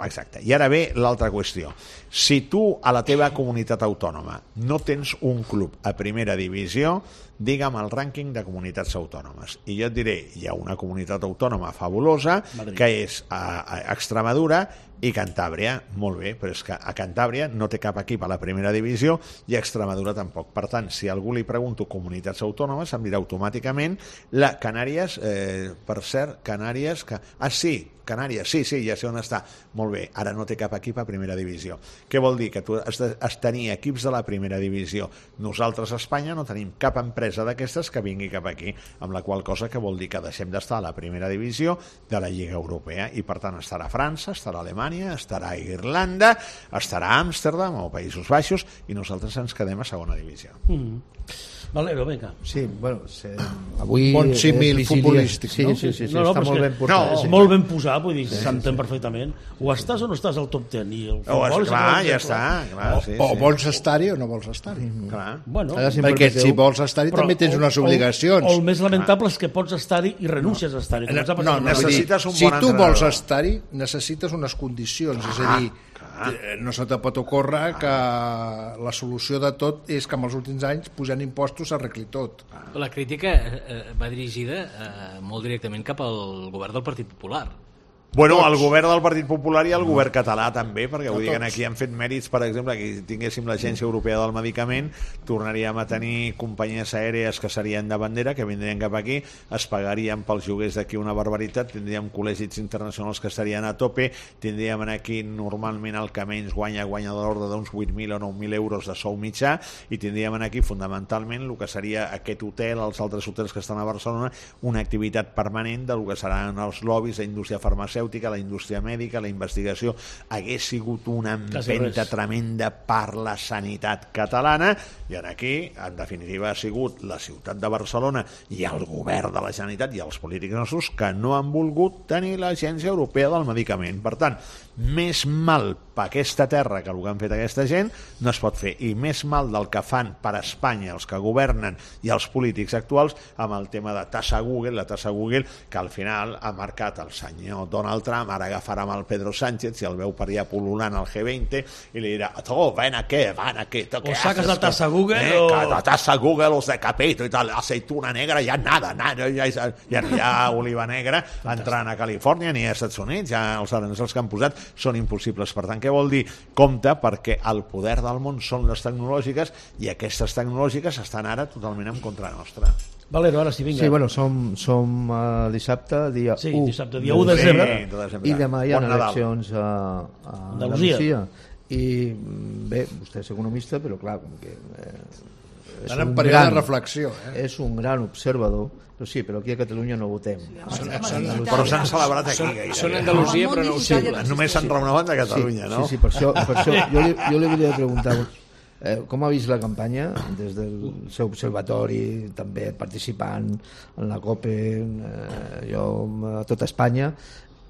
Exacte. I ara ve l'altra qüestió. Si tu a la teva comunitat autònoma no tens un club a primera divisió, digue'm el rànquing de comunitats autònomes. I jo et diré, hi ha una comunitat autònoma fabulosa, Madrid, que és a, a Extremadura i Cantàbria. Molt bé, però és que a Cantàbria no té cap equip a la primera divisió i a Extremadura tampoc. Per tant, si a algú li pregunto comunitats autònomes, em dirà automàticament la Canàries, eh, per cert, Canàries... Que... Ah, sí, Canàries, sí, sí, ja sé on està. Molt bé, ara no té cap equip a primera divisió. Què vol dir? Que tu has de has tenir equips de la primera divisió. Nosaltres a Espanya no tenim cap empresa d'aquestes que vingui cap aquí, amb la qual cosa que vol dir que deixem d'estar a la primera divisió de la Lliga Europea i per tant estarà França, estarà Alemanya, estarà Irlanda, estarà Amsterdam o Països Baixos i nosaltres ens quedem a segona divisió. Mm. Valero, vinga. Sí, bueno, se, avui... Bon símil futbolístic, sí, no? Sí, sí, sí, no, no, està molt que, ben portat. No, sí. molt ben posat, vull dir, sí, s'entén sí. perfectament. O estàs o no estàs al top ten. I el Oh, futbol és clar, és ja està. Clar, O, sí, o sí. vols estar-hi o no vols estar-hi. Mm, clar. Bueno, Perquè si vols estar-hi també tens unes obligacions. O, o el més lamentable és que pots estar-hi i renúncies a estar-hi. No, no, no, necessites un si bon tu entrenador. vols estar-hi, necessites unes condicions, és a dir, no se te pot ocórrer que la solució de tot és que en els últims anys pujant impostos s'arregli tot. La crítica eh, va dirigida eh, molt directament cap al govern del Partit Popular. Bueno, Tots. el govern del Partit Popular i el govern català també, perquè vull dir que tots. aquí han fet mèrits, per exemple, que tinguéssim l'Agència Europea del Medicament, tornaríem a tenir companyies aèries que serien de bandera, que vindrien cap aquí, es pagarien pels lloguers d'aquí una barbaritat, tindríem col·legis internacionals que estarien a tope, tindríem aquí normalment el que menys guanya, guanya de l'ordre d'uns vuit mil o nou mil euros de sou mitjà, i tindríem aquí fundamentalment el que seria aquest hotel, els altres hotels que estan a Barcelona, una activitat permanent del que seran els lobbies, la indústria farmacèutica, la indústria mèdica, la investigació. Hagués sigut una empenta tremenda per la sanitat catalana i en aquí, en definitiva, ha sigut la ciutat de Barcelona i el govern de la Generalitat i els polítics nostres que no han volgut tenir l'Agència Europea del Medicament. Per tant, més mal per aquesta terra que el que han fet aquesta gent no es pot fer, i més mal del que fan per Espanya els que governen i els polítics actuals amb el tema de tassa Google, la tassa Google que al final ha marcat el senyor Donald Trump. Ara agafarà amb el Pedro Sánchez, si el veu per allà pol·lulant al G veinte, i li dirà, tu, ven aquí, ven aquí, tu, o saques la tassa Google eh, o... que la tassa Google os decapito i tal, aceituna negra, ja nada, nada ja, ja, ja no hi ha oliva negra entrant a Califòrnia ni a Estats Units, ja els aranzels que han posat són impossibles. Per tant, què vol dir? Compte, perquè el poder del món són les tecnològiques i aquestes tecnològiques estan ara totalment en contra nostra. Valero, ara sí, vinga. Sí, bueno, som, som uh, dissabte, dia sí, u dissabte, dia u de desembre. Sí, de desembre. I demà hi ha Bon Nadal. eleccions a, a Andalusia. Andalusia. I bé, vostè és economista, però clar, com que eh, és Estan en un període gran, de reflexió. Eh? és un gran observador, però sí, però aquí a Catalunya no votem. Són, Home, són, sí, Però s'han celebrat aquí. Són, gairebé. són Andalusia, però no ho sé. Només s'han reunit a Catalunya, sí, no? Sí, sí, per això, per això jo, li, jo li volia preguntar eh, com ha vist la campanya des del seu observatori, també participant en la COPE, eh, jo a tota Espanya,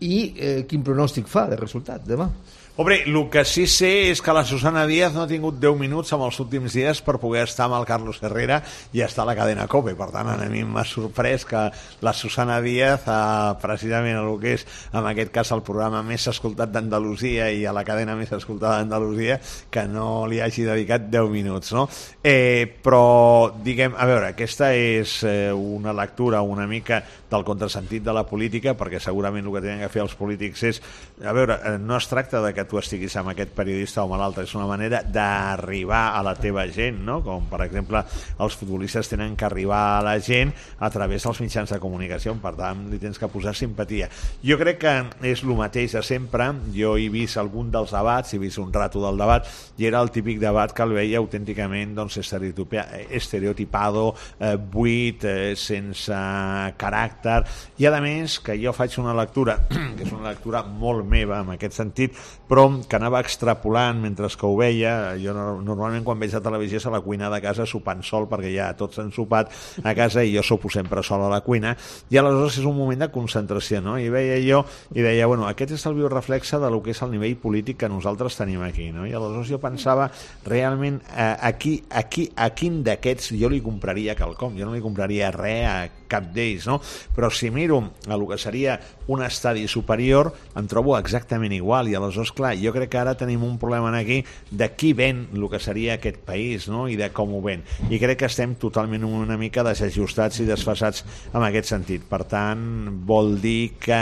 i eh, quin pronòstic fa de resultat demà? Hombre, el que sí sé és que la Susana Díaz no ha tingut deu minuts en els últims dies per poder estar amb el Carlos Herrera i estar a la cadena COPE. Per tant, a mi m'ha sorprès que la Susana Díaz, eh, precisament el que és, en aquest cas, el programa més escoltat d'Andalusia i a la cadena més escoltada d'Andalusia, que no li hagi dedicat deu minuts, no? Eh, però, diguem, a veure, aquesta és eh, una lectura una mica del contrasentit de la política, perquè segurament el que tenen que fer els polítics és, a veure, eh, no es tracta de que tu estiguis amb aquest periodista o amb l'altre, és una manera d'arribar a la teva gent, no? Com per exemple els futbolistes tenen que arribar a la gent a través dels mitjans de comunicació, per tant li tens que posar simpatia. Jo crec que és el mateix de sempre. Jo he vist algun dels debats, he vist un rato del debat i era el típic debat que el veia autènticament doncs, estereotipado, eh, buit, eh, sense caràcter, i a més que jo faig una lectura que és una lectura molt meva en aquest sentit, però que anava extrapolant mentre que ho veia. Jo normalment quan veig la televisió és a la cuina de casa sopant sol, perquè ja tots han sopat a casa i jo sopo sempre sol a la cuina, i aleshores és un moment de concentració, no? I veia jo i deia, bueno, aquest és el bioreflexe de lo que és el nivell polític que nosaltres tenim aquí, no? I aleshores jo pensava realment eh, aquí, aquí, a quin d'aquests jo li compraria quelcom, jo no li compraria res a cap d'ells, no? Però si miro a el que seria un estadi superior, em trobo exactament igual, i aleshores, clar, jo crec que ara tenim un problema aquí de qui ven el que seria aquest país, no?, i de com ho ven, i crec que estem totalment una mica desajustats i desfasats en aquest sentit. Per tant, vol dir que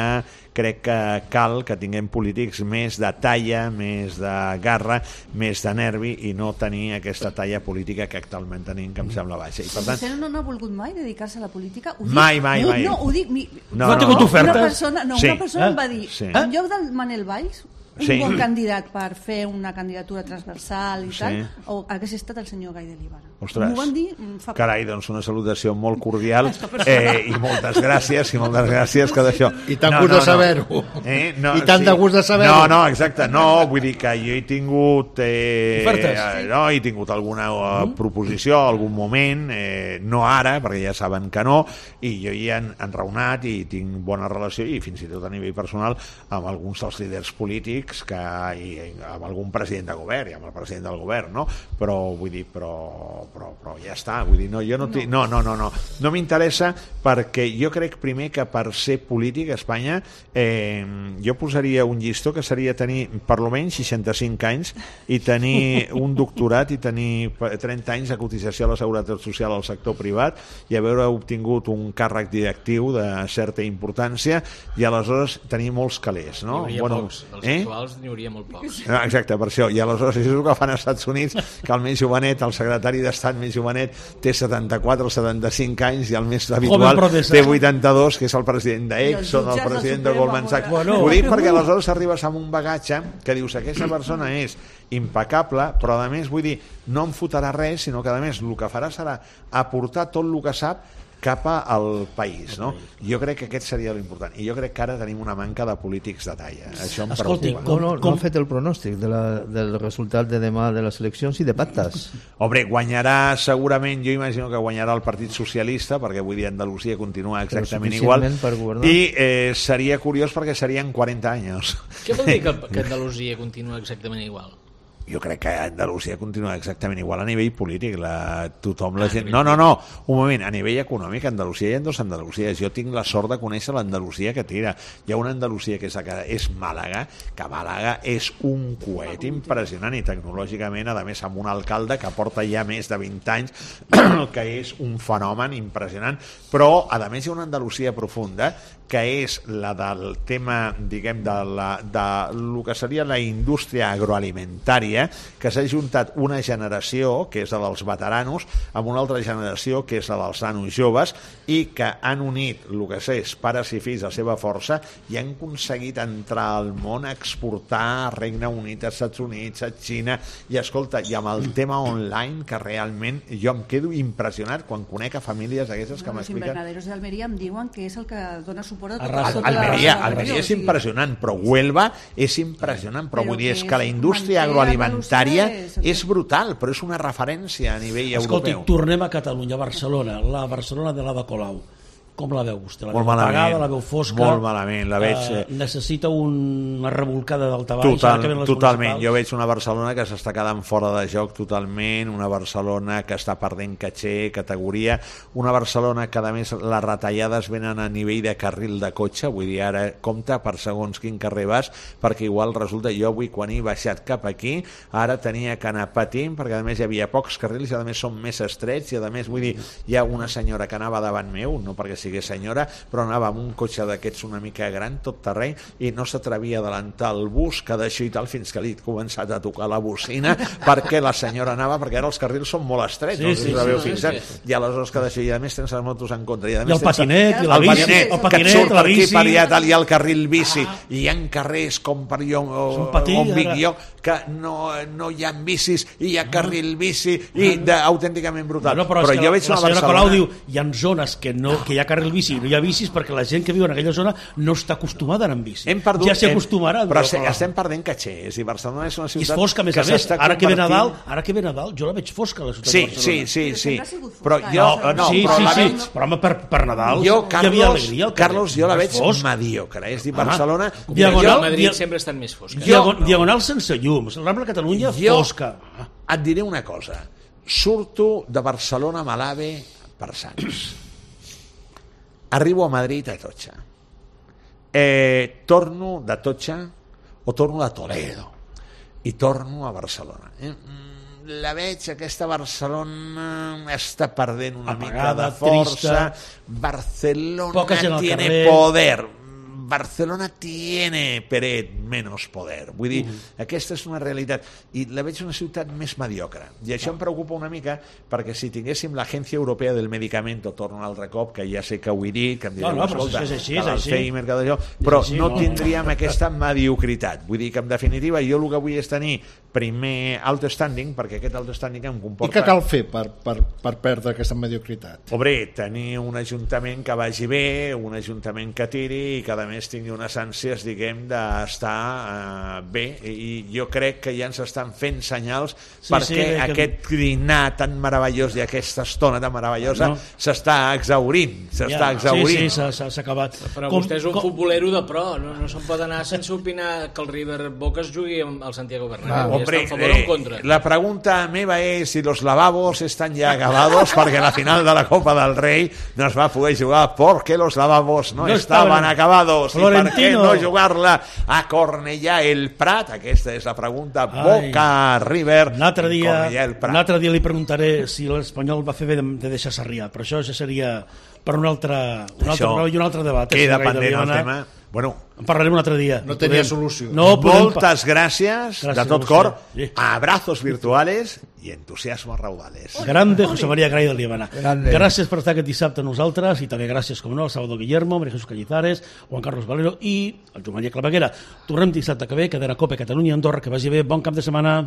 crec que cal que tinguem polítics més de talla, més de garra, més de nervi, i no tenir aquesta talla política que actualment tenim, que em sembla baixa. I per tant, vostè no, no ha volgut mai dedicar-se a la política? Ho dic, mai, mai, no, mai. No, ho dic... Mi, No, no ha tingut no. ofertes? Una persona, no, Sí. una persona Eh? em va dir, Sí. en lloc del Manel Valls, un Sí. bon candidat per fer una candidatura transversal i Sí. tal, o hagués estat el senyor Gai de Líbana. Ostres, M'ho van dir mm, fa poc. carai, doncs una salutació molt cordial, eh, i moltes gràcies, i moltes gràcies que d'això... I tant gust de saber-ho. Eh? No, I tant de gust de saber-ho. No, no, exacte, no, vull dir que jo he tingut... Eh, Ofertes. eh, no, he tingut alguna uh, proposició, algun moment, eh, no ara, perquè ja saben que no, i jo hi he enraonat i tinc bona relació, i fins i tot a nivell personal, amb alguns dels líders polítics, que, i, i amb algun president de govern, i amb el president del govern, no? Però, vull dir, però, però, però ja està, vull dir, no, jo no, tinc, no, no, no, no, no m'interessa, perquè jo crec primer que per ser polític a Espanya eh, jo posaria un llistó que seria tenir per lo menys seixanta-cinc anys i tenir un doctorat i tenir trenta anys de cotització a la Seguretat Social al sector privat i haver obtingut un càrrec directiu de certa importància i aleshores tenir molts calés, no? N'hi hauria Bueno, pocs, dels eh? actuals n'hi hauria molt pocs. No, exacte, per això. I aleshores és el que fan als Estats Units, que el més jovenet, el secretari d'Estat més jovenet, té setanta-quatre o setanta-cinc anys i el més habitual té vuitanta-dos, que és el president d'Exxon, el president de Goldman Sachs. Bueno. Ho dic perquè aleshores arribes amb un bagatge que dius, aquesta persona és impecable, però a més, vull dir, no em fotrà res, sinó que a més el que farà serà aportar tot el que sap cap al país, no? Jo crec que aquest seria l'important. I jo crec que ara tenim una manca de polítics de talla. Això em Escolti, preocupa. No, no, no ha fet el pronòstic de la, del resultat de demà de les eleccions i de pactes. Hombre, guanyarà segurament, jo imagino que guanyarà el Partit Socialista, perquè vull dir, Andalusia continua exactament igual, suficientment per governar. i eh, seria curiós perquè serien quaranta anys. Què vol dir que, que Andalusia continua exactament igual? Jo crec que Andalusia continua exactament igual a nivell polític. La, tothom, la gent... No, no, no, un moment, a nivell econòmic, Andalusia hi ha dos Andalusies. Jo tinc la sort de conèixer l'Andalusia que tira. Hi ha una Andalusia que és, és Màlaga, que Màlaga és un coet impressionant i tecnològicament, a més, amb un alcalde que porta ja més de vint anys, que és un fenomen impressionant. Però, a més, hi ha una Andalusia profunda, que és la del tema, diguem, de, la, de lo que seria la indústria agroalimentària, que s'ha juntat una generació, que és la dels veteranos, amb una altra generació, que és la dels nanos joves, i que han unit el que és pares i fills, la seva força, i han aconseguit entrar al món, exportar a Regne Unit, als Estats Units, a Xina, i escolta, i amb el tema online, que realment jo em quedo impressionat quan conec a famílies d'aquestes que Els m'expliquen. invernaderos d'Almeria em diuen que és el que dona suport a tot Arrasa. tota la Almeria, regió, Almeria o és sigui, impressionant, però Huelva és impressionant, però, Però vull dir, és que que la és indústria manté agroalimentària Andalusia és- és brutal, però és una referència a nivell Escolti, europeu. tornem a Catalunya, a Barcelona, la Barcelona de l'Ada Colau. Com la veu vostè? La Molt veu malament, apagada, la veu fosca? molt malament, la veig, Eh, eh, necessita una revolcada d'alta-baix? ara que Total, venen les totalment, municipals? jo veig una Barcelona que s'està quedant fora de joc totalment, una Barcelona que està perdent caché, categoria, una Barcelona que a més les retallades venen a nivell de carril de cotxe, vull dir, ara compta per segons quin carrer vas, perquè igual resulta, jo avui quan he baixat cap aquí, ara tenia que anar patint, perquè a més hi havia pocs carrils i a més són més estrets, i a més vull dir, hi ha una senyora que anava davant meu, no perquè sigués senyora, però anava amb un cotxe d'aquests una mica gran, tot terreny, i no s'atrevia a adelantar el bus, que d'això i tal, fins que li he començat a tocar la bocina, perquè la senyora anava, perquè ara els carrils són molt estrets, Sí, no sé sí, si l'haveu sí, fixat, sí. i aleshores que d'això, i a més tens les motos en contra, i, a I més el tens patinet, i la el bici, patinet, el que et patinet, surt la per aquí, bici. per allà, tal, i el carril bici, i hi ha carrers com per jo, Són patí, on vic ara. jo, que no, no hi ha bicis, i hi ha carril bici, i de, autènticament brutal. Bueno, però, però és que jo la, veig la una senyora Barcelona... Colau diu hi ha zones que, no, que hi ha carril bici i no hi ha bicis perquè la gent que viu en aquella zona no està acostumada a anar amb bici. Hem perdut, ja s'hi hem- acostumarà. però no, se- estem perdent caché, i Barcelona és una I és ciutat fosca, a més que a més. s'està Ara que ve Nadal, convertint- ara que ve Nadal, jo la veig fosca, la ciutat Sí, de Barcelona. sí, sí, Però sí. sempre ha sigut Però fosca, jo, eh? no, sí, però sí, la sí, veig... però home, per, per Nadal Jo, hi havia Carlos, alegria al carrer. Carlos, jo la No és veig fosc. mediocre. És dir, Ah, Barcelona... Diagonal- Jo, a jo, Madrid dia- sempre estan més fosques. Jo- Diagon, diagonal sense llums. Rambla Catalunya, Jo- fosca. Ah. et diré una cosa. Surto de Barcelona a Malave per Sants. Arribo a Madrid a Atocha. eh, torno de Totxa o torno de Toledo i torno a Barcelona. Eh? La veig, aquesta Barcelona està perdent una apagada, mica de força. trista. Barcelona tiene poder. Barcelona tiene Peret menos poder. Vull dir, mm. aquesta és una realitat. I la veig una ciutat més mediocre. I això em preocupa una mica, perquè si tinguéssim l'Agència Europea del Medicamento, torno un altre cop, que ja sé que ho he dit, que em direu, no, no, però escolta, és així, que és així. l'Alzheimer, que d'allò, però així, no, no tindríem aquesta mediocritat. Vull dir que, en definitiva, jo el que vull és tenir primer alt standing, perquè aquest alt standing em comporta... I què cal fer per, per, per perdre aquesta mediocritat? Obre, tenir un ajuntament que vagi bé, un ajuntament que tiri i que, a més, tingui unes ànsies, diguem, d'estar eh, bé. I jo crec que ja ens estan fent senyals sí, perquè sí, aquest que... dinar tan meravellós i aquesta estona tan meravellosa no. s'està exhaurint. S'està ja, exhaurint. Sí, sí, s'ha acabat. Però com, vostè és un com... futbolero de pro, no, no se'n pot anar sense opinar que el River Boca es jugui amb el Santiago Bernabéu. Ah, hombre, eh, la pregunta meva és si los lavabos están ya acabados, perquè la final de la Copa del Rei no es va poder jugar perquè los lavabos no, no estaven acabados. Florentino. I per què no jugar-la a Cornellà el Prat? Aquesta és la pregunta. Boca, River, l'altre dia, Cornellà el Prat. L'altre dia li preguntaré si l'Espanyol va fer bé de, de deixar Sarrià, però això ja seria per un altre, un altre, un altre debat. Queda pendent el tema. Bueno, en parlarem un altre dia. No tenia podem... solució. No Moltes gràcies, gràcies de tot cor, sí. Abrazos virtuales i entusiasmos raudales. Grande José María Gray del Líbana. Gràcies per estar aquest dissabte amb nosaltres i també gràcies, com no, al Salvador Guillermo, María Jesús Cañizares, Juan Carlos Valero i el Joan Maria Claveguera. Tornem dissabte que ve, cadena COPE Catalunya Andorra, que vagi bé, bon cap de setmana.